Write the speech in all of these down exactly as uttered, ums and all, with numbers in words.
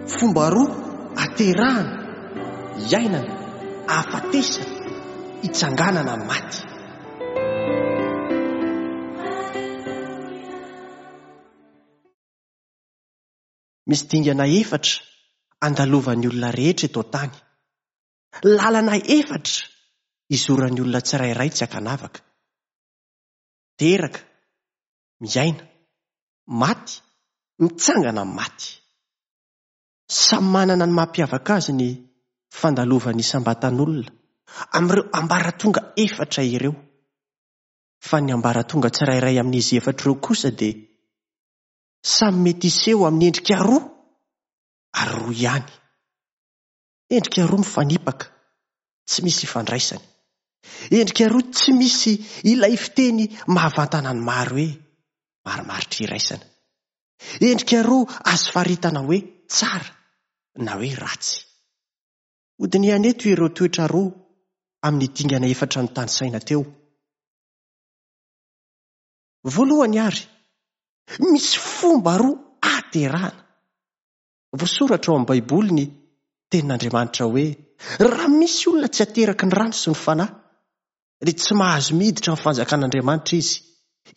Fomba roa aterahana, iainana, ahafatesana, hitsanganana amin'ny maty. Misy dingana efatra andalovan'ny olona rehetra eto an-tany. Lalana efatra izoran'ny olona tsirairay tsy ankanavaka. Teraka, miaina, maty, mitsangana amin'ny maty. Samy manana ny mampiavaka azy ny fandalovan'ny isam-batan'olona amin'ireo ambaratonga efatra ireo. Fa ny ambaratonga tsirairay amin'izy efatra ireo kosa dia samy mety hiseho amin'ny endrika roa ary roa ihany. Endrika roa mifanipaka, tsy misy ifandraisany. Endrika roa tsy misy ilay fiteny mahavantana ny maro hoe marimaritra iraisana. Endrika roa azo faritana hoe tsara na hoe ratsy. Hodinihana eto ireo toetra roa amin'ny dingana efatra notanisaina teo. Voalohany ary, misy fomba roa aterahana. Voasoratra ao amin'ny Baiboly ny tenin'Andriamanitra hoe raha misy olona tsy ateraky ny rano sy ny fanahy, dia tsy mahazo miditra amin'ny fanjakan'Andriamanitra izy.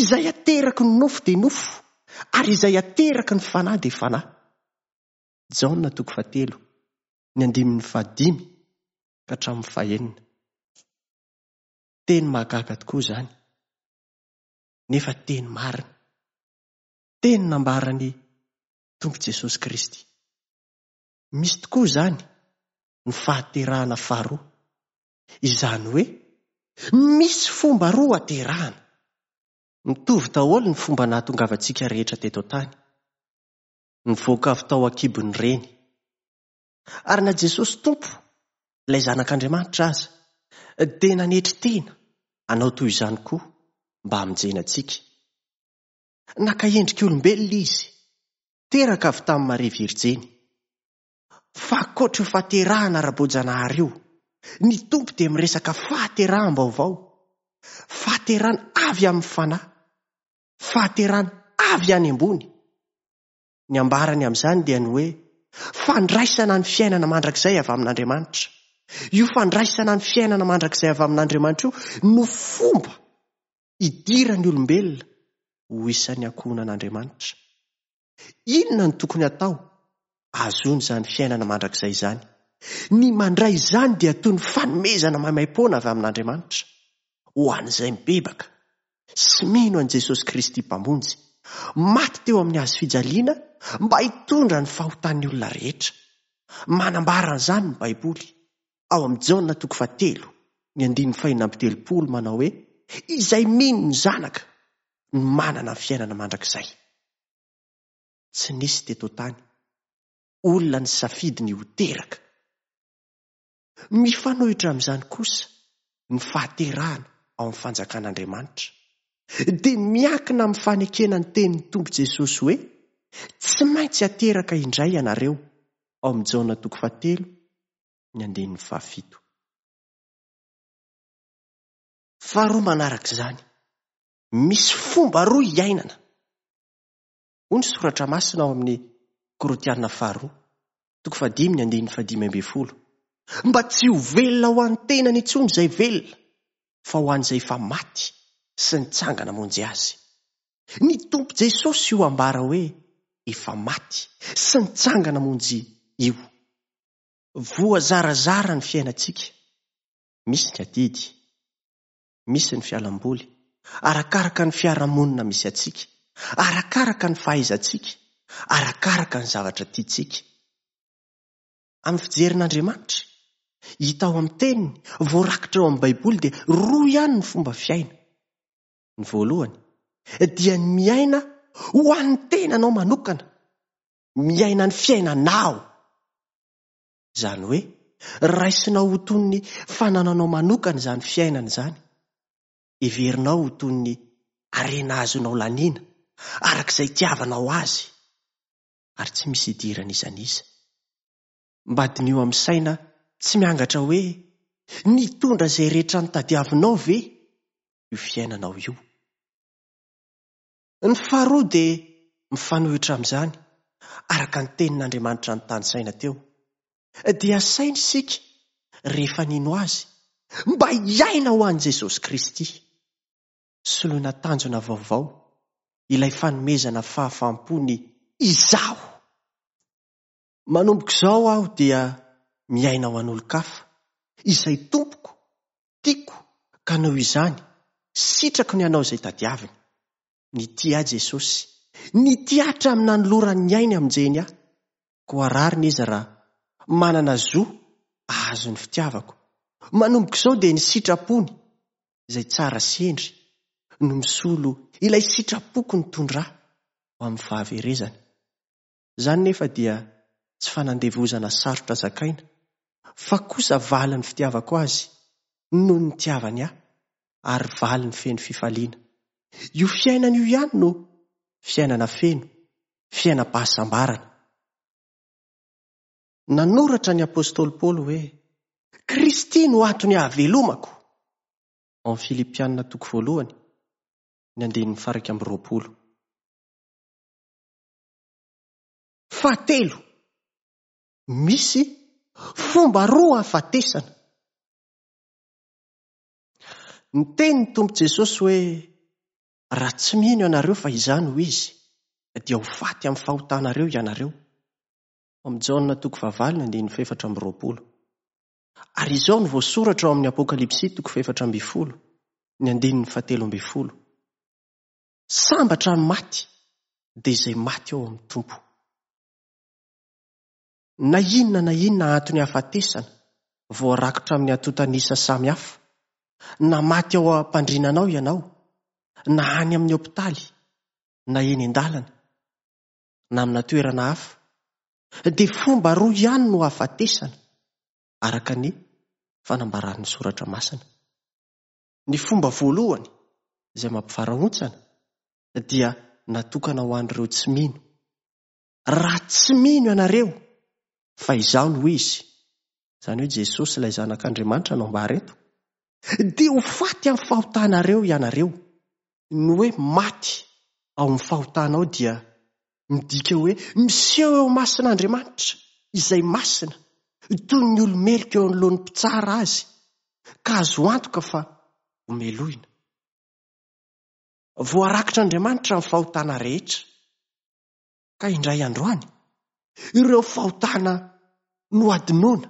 Izay ateraky ny nofo dia nofo, ary izay ateraky ny fanahy dia fanahy. Jaona toko fahatelo, ny andininy fahadimy ka hatramin'ny fahenina. Teny mahagaga tokoa izany, nefa teny marina. Teny nambaran'ny Tompo Jesosy Kristy. Misy tokoa izany ny fahaterahana faharoa. Izany hoe misy fomba roa aterahana. Mitovy daholo ny fomba nahatongavantsika rehetra teto an-tany. Nivoaka avy tao an-kibon'ny reny. Ary na Jesosy Tompo, ilay Zanak'Andriamanitra aza, dia nanetry tena hanao toy izany koa mba hamonjena antsika. Naka endrika olombelona izy, teraka avy tamin'i Maria Virjiny. Fa ankoatra io fahaterahana ara-boajanahary io, ny Tompo dia miresaka fahateraham-baovao, fahaterahana avy amin'ny fanahy, fahaterahana avy any ambony. Ny ambarany amin'izany dia ny hoe fandraisana ny fiainana mandrakizay avy amin'Andriamanitra. Io fandraisana ny fiainana mandrakizay avy amin'Andriamanitra io no fomba idiran'ny olombelona ho isan'ny ankohonan'Andriamanitra. Inona no tokony hatao ahazoana izany fiainana mandrakizay izany? Ny mandray izany dia toy ny fanomezana maimaimpoana avy amin'Andriamanitra ho an'izay mibebaka sy mino an'i Jesosy Kristy Mpamonjy, maty teo amin'ny hazo fijaliana mba hitondra ny fahotan'ny olona rehetra. Manambara an'izany ny Baiboly ao amin'ny Jaona toko fahatelo, ny andininy fahenina amby telopolo manao hoe izay mino ny Zanaka no manana ny fiainana mandrakizay. Tsy nisy teto an-tany olona nisafidy ny ho teraka. Mifanohitra amin'izany kosa ny fahaterahana ao amin'ny fanjakan'Andriamanitra. Dia miankina amin'ny fanekena ny tenin'ny Tompo Jesosy hoe tsy maintsy ateraka indray ianareo ao amin'ny Jaona toko fahatelo, ny andininy fahafito. Faharoa manaraka izany, misy fomba roa iainana. Hoy ny soratra masina ao amin'ny Korintiana faharoa, toko fahadimy, ny andininy fahadimy ambin'ny folo. Mba tsy ho velona ho an'ny tenany intsony izay velona, fa ho an'izay efa maty sy nitsangana hamonjy azy. Ny Tompo Jesosy io ambara hoe efa maty sy nitsangana hamonjy io. Voazarazara ny fiainantsika. Misy ny adidy, misy ny fialamboly, arakaraka ny fiarahamonina misy antsika, arakaraka ny fahaizantsika, arakaraka ny zavatra tiantsika. Amin'ny fijerin'Andriamanitra, hita ao amin'ny teniny, voarakitra ao amin'ny Baiboly dia roa ihany ny fomba fiaina. Ny voalohany dia ny miaina ho an'ny tenanao manokana, miaina ny fiainanao. Izany hoe raisinao ho toy ny fanananao manokana izany fiainana izany. Heverinao ho toy ny harena azonao laniana, araka izay itiavanao azy, ary tsy misy idiran'iza n'iza. Mba diniho amin'ny saina tsy miangatra hoe nitondra izay rehetra notadiavinao ve io fiainanao io. Ny faharoa dia mifanohitra amin'izany, araka ny tenin'Andriamanitra notanisaina teo, dia asaina isika rehefa nino azy mba hiaina ho an'i Jesosy Kristy. Soloina tanjona vaovao ilay fanomezana fahafaham-po ny izaho. Manomboka izao aho dia miaina ho an'olon-kafa, izay tompoko, tiako, ka noho izany, sitrako ny hanao izay tadiaviny. Nitia ahy Jesosy, nitia hatramin'ny nanolorany ny ainy hamonjeny ahy. Koa rariny izy raha manana zo ahazo ny fitiavako. Manomboka izao dia ny sitrapony, izay tsara sy hendry, no misolo ilay sitrapoko nitondra ahy ho amin'ny fahaverezana. Izany nefa dia tsy fanandevozana sarotra zakaina, fa kosa valin'ny fitiavako azy noho ny nitiavany ahy, ary valiny feno fifaliana. Io fiainana io ihany no fiainana feno, fiainam-pahasambarana. Nanoratra ny apostoly Paoly hoe Kristy no antony ahavelomako. Ao amin'ny Filipianina toko voalohany, ny andininy faha-iraika amby roapolo. Fahatelo, misy fomba roa ahafatesana. Niteny ny Tompo Jesosy hoe raha tsy mino ianareo fa izaho no izy, dia ho faty amin'ny fahotanareo ianareo. Amin'ny Jaona toko fahavalo ny andininy fahefatra amby roapolo. Ary izao no voasoratra ao amin'ny Apokalypsy toko fahefatra ambin'ny folo, ny andininy fahatelo ambin'ny folo. Sambatra ny maty, dia izay maty ao amin'ny Tompo. Na inona na inona antony hahafatesana, voarakitra amin'ny antontan'isa samihafa, na maty ao am-pandrinanao ianao, na any amin'ny hopitaly, na eny an-dalana, na amina toerana hafa, dia fomba roa ihany no hahafatesana, araka ny fanambaran'ny soratra masina. Ny fomba voalohany izay mampivarahontsana dia natokana ho an'ireo tsy mino. Raha tsy mino ianareo fa izaho no izy, izany hoe Jesosy ilay zanak'Andriamanitra no ambara eto, dia ho faty amin'ny fahotanareo ianareo. Ny hoe maty ao amin'ny fahotanao dia midika hoe miseho eo masin'Andriamanitra izay masina, toy ny olo-meloka eo anoloan'ny mpitsara azy, ka azo antoka fa ho melohina. Voarakitr'Andriamanitra ny fahotana rehetra, ka indray androany ireo fahotana nohadinoana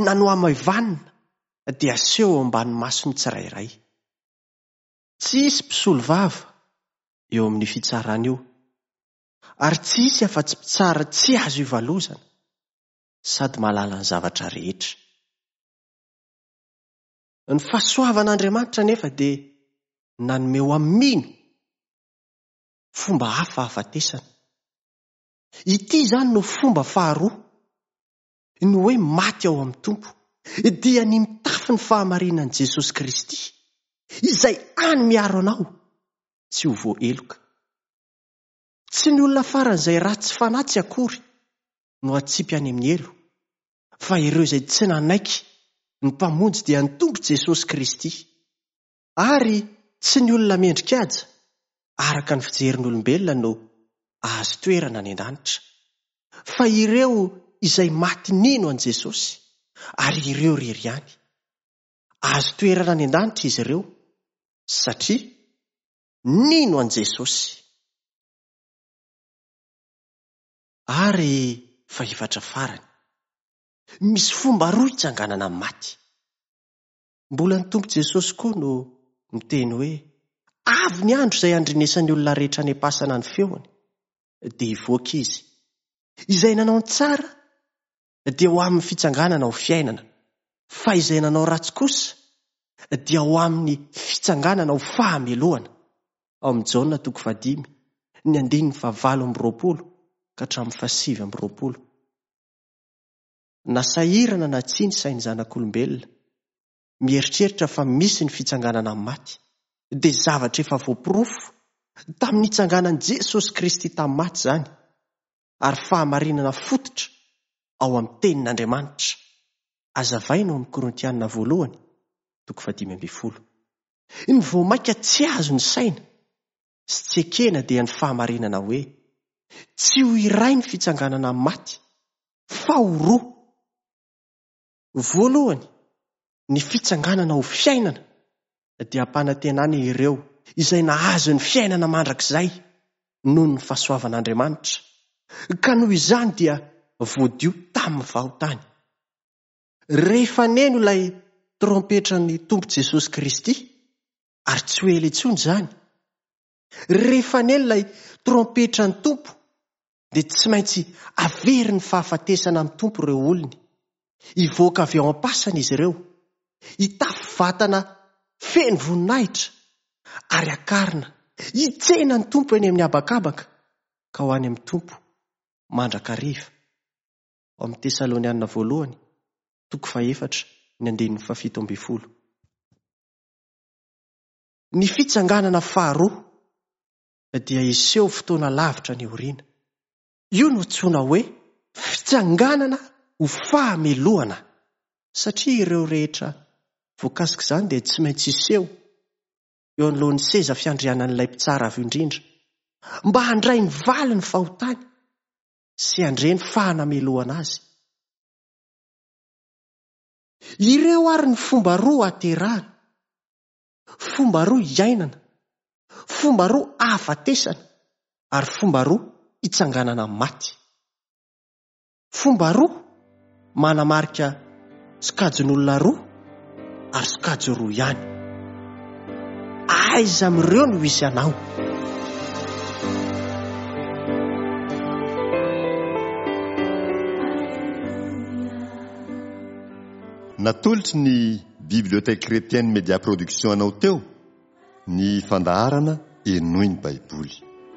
na nohamaivanina dia aseho eo ambany mason'ny tsirairay. Tsy hisy mpisolo vava eo amin'ny fitsarana io, ary tsy hisy afa-tsy mpitsara tsy azo ivalozana sady mahalala ny zavatra rehetra. Ny fahasoavan'Andriamanitra nefa dia nanome ho amin'ny mino fomba hafa hahafatesana. Ity izany no fomba faharoa, ny hoe maty ao amin'ny Tompo, dia ny mitafy ny fahamarinan'i Jesosy Kristy, izay any miaro anao tsy ho voaheloka. Tsy ny olona faran'izay ratsy fanahy tsy akory no atsipy any amin'ny helo, fa ireo izay tsy nanaiky ny Mpamonjy dia ny Tompo Jesosy Kristy. Ary tsy ny olona mendrika-kaja araka ny fijerin'olombelona no ahazo toerana any an-danitra, fa ireo izay maty nino an'i Jesosy, ary ireo irery ihany. Ahazo toerana any an-danitra izy ireo satria nino an'i Jesosy. Ary fahefatra farany, misy fomba roa hitsanganana amin'ny maty. Mbola ny Tompo Jesosy koa no miteny hoe avy ny andro izay handrenesan'ny olona rehetra any am-pasana ny feony, dia hivoaka izy. Izay nanao ny tsara dia ho amin'ny fitsanganana ho fiainana, fa izay nanao ratsy kosa dia ho amin'ny fitsanganana ho fahamelohana. Ao amin'ny Jaona toko fahadimy, ny andininy fahavalo amby roapolo ka hatramin'ny fahasivy amby roapolo. Na sahirana na tsia ny sain'ny zanak'olombelona, mieritreritra fa misy ny fitsanganana amin'ny maty, dia zavatra efa voaporofo tamin'ny nitsanganan'i Jesosy Kristy tamin'ny maty izany, ary fahamarinana fototra ao amin'ny tenin'Andriamanitra. Hazavaina ao amin'ny Korintiana voalohany, toko fahadimy ambin'ny folo. Ny vao mainka tsy azo ny saina sy tsy ekena dia ny fahamarinana hoe Tsy ho iray ny fitsanganana amin'ny maty, fa ho roa. Voalohany, ny fitsanganana ho fiainana dia ampanantenana ireo izay nahazo ny fiainana mandrakizay noho ny fahasoavan'Andriamanitra, ka noho izany dia voadio tamin'ny fahotany. Rehefa neno ilay trompetran'ny Tompo Jesosy Kristy, ary tsy ho ela intsony izany, rehefa neno ilay trompetran'ny Tompo, dia tsy maintsy averin'ny fahafatesana amin'ny Tompo ireo olony. Hivoaka avy ao am-pasana izy ireo, hitafy vatana feno voninahitra, ary hakarina hitsena ny Tompo eny amin'ny habakabaka, ka ho any amin'ny Tompo mandrakariva. Ao amin'ny Tesalonianina voalohany, toko fahefatra, ny andininy fahafito ambin'ny folo. Ny fitsanganana faharoa dia hiseho fotoana lavitra ny aoriana. Io no antsoina hoe fitsanganana ho fahamelohana, satria ireo rehetra voakasika izany dia tsy maintsy hiseho eo anoloan'ny seza fiandrianan'ilay mpitsara avy indrindra, mba handray ny valin'ny fahotany sy handre ny fahanamelohana azy. Ireo ary ny fomba roa aterahana, fomba roa iainana, fomba roa ahafatesana, ary fomba roa hitsanganana amin'ny maty. Fomba roa manamarika sokajin'olona roa ary sokajy roa ihany. Aiza amin'ireo no hisy anao? Natolotry ny Bibliothèque Chrétienne Média Production anao teo ny fandaharana Henoy ny Baiboly.